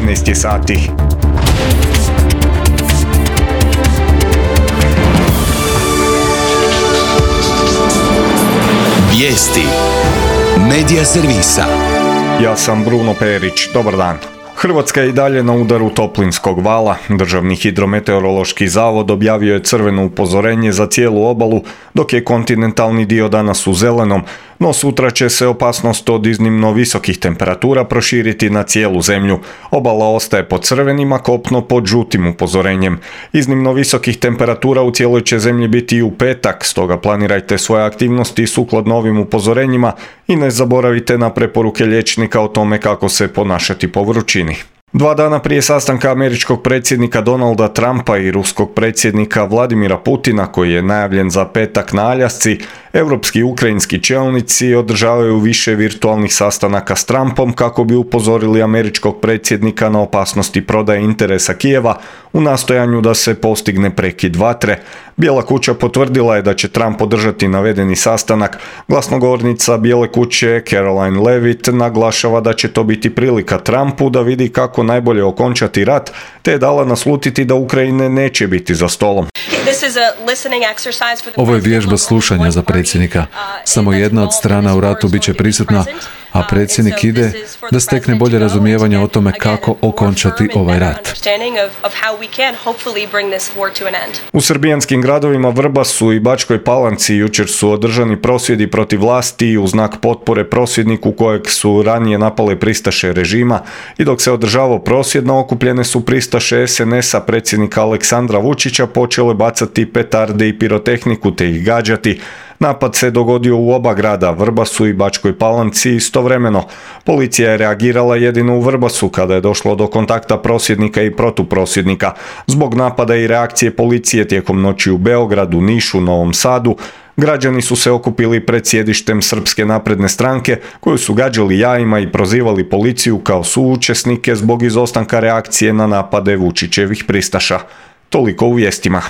13 je sati. Vijesti Medija servisa. Ja sam Bruno Perić, dobar dan. Hrvatska je i dalje na udaru toplinskog vala. Državni hidrometeorološki zavod objavio je crveno upozorenje za cijelu obalu, dok je kontinentalni dio danas u zelenom, no sutra će se opasnost od iznimno visokih temperatura proširiti na cijelu zemlju. Obala ostaje pod crvenim, a kopno pod žutim upozorenjem. Iznimno visokih temperatura u cijeloj će zemlji biti i u petak, stoga planirajte svoje aktivnosti sukladno ovim upozorenjima i ne zaboravite na preporuke liječnika o tome kako se ponašati po vrućini. 2 dana prije sastanka američkog predsjednika Donalda Trumpa i ruskog predsjednika Vladimira Putina, koji je najavljen za petak na Aljasci, europski i ukrajinski čelnici održavaju više virtualnih sastanaka s Trumpom kako bi upozorili američkog predsjednika na opasnosti prodaje interesa Kijeva u nastojanju da se postigne prekid vatre. Bijela kuća potvrdila je da će Trump podržati navedeni sastanak. Glasnogovornica Bijele kuće Caroline Levitt naglašava da će to biti prilika Trumpu da vidi kako najbolje okončati rat, te je dala naslutiti da Ukrajine neće biti za stolom. Ovo je vježba slušanja za predsjednika. Samo jedna od strana u ratu bit će prisutna, a predsjednik ide da stekne bolje razumijevanje o tome kako okončati ovaj rat. U srbijanskim gradovima Vrbasu i Bačkoj Palanci jučer su održani prosvjedi protiv vlasti u znak potpore prosvjedniku kojeg su ranije napale pristaše režima, i dok se održavao prosvjed, naokupljene su pristaše SNS-a predsjednika Aleksandra Vučića počele bacati petarde i pirotehniku te ih gađati. Napad se dogodio u oba grada, Vrbasu i Bačkoj Palanci, istovremeno. Policija je reagirala jedino u Vrbasu kada je došlo do kontakta prosvjednika i protuprosvjednika. Zbog napada i reakcije policije tijekom noći u Beogradu, Nišu, Novom Sadu, građani su se okupili pred sjedištem Srpske napredne stranke, koju su gađali jajima i prozivali policiju kao suučesnike zbog izostanka reakcije na napade Vučićevih pristaša. Toliko u vijestima.